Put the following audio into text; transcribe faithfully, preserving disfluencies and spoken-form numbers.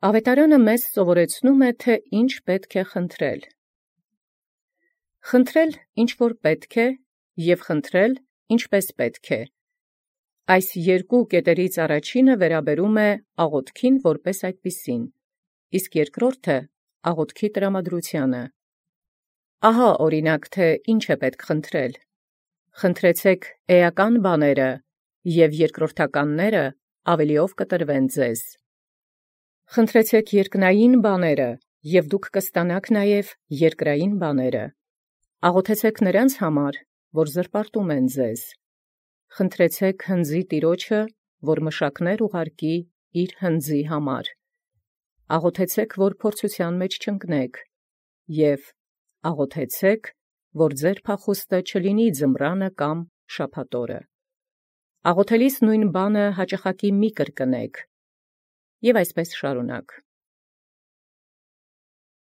Ավետարանը մեզ սովորեցնում է, թե ինչ պետք է խնդրել։ Խնդրել ինչ որ պետք է, և խնդրել ինչպես պետք է։ Այս երկու կետերից առաջինը վերաբերում է աղոթքին որպես այդպիսին, իսկ երկրորդը աղոթքի տրամադրությանը։ Ահա օրինակ, թե ինչ է պետք խնդրել. խնդրեցեք էական բաները, և երկրորդականները ավելիով կտրվեն ձեզ։ Խնդրեցեք երկնային բաները, և դուք կստանաք նաև երկրային բաները։ Աղոթեցեք նրանց համար, որ զրպարտում են ձեզ։ Խնդրեցեք հնձի Տիրոջը, որ մշակներ ուղարկի իր հնձի համար։ Աղոթեցեք, որ փորձության մեջ չընկնեք, և աղոթեցեք, որ ձեր փախուստը չլինի ձմռանը կամ շաբաթօրը։ Աղոթելիս նույն բանը հաճախակի մի կրկնեք, և այսպես շարունակ։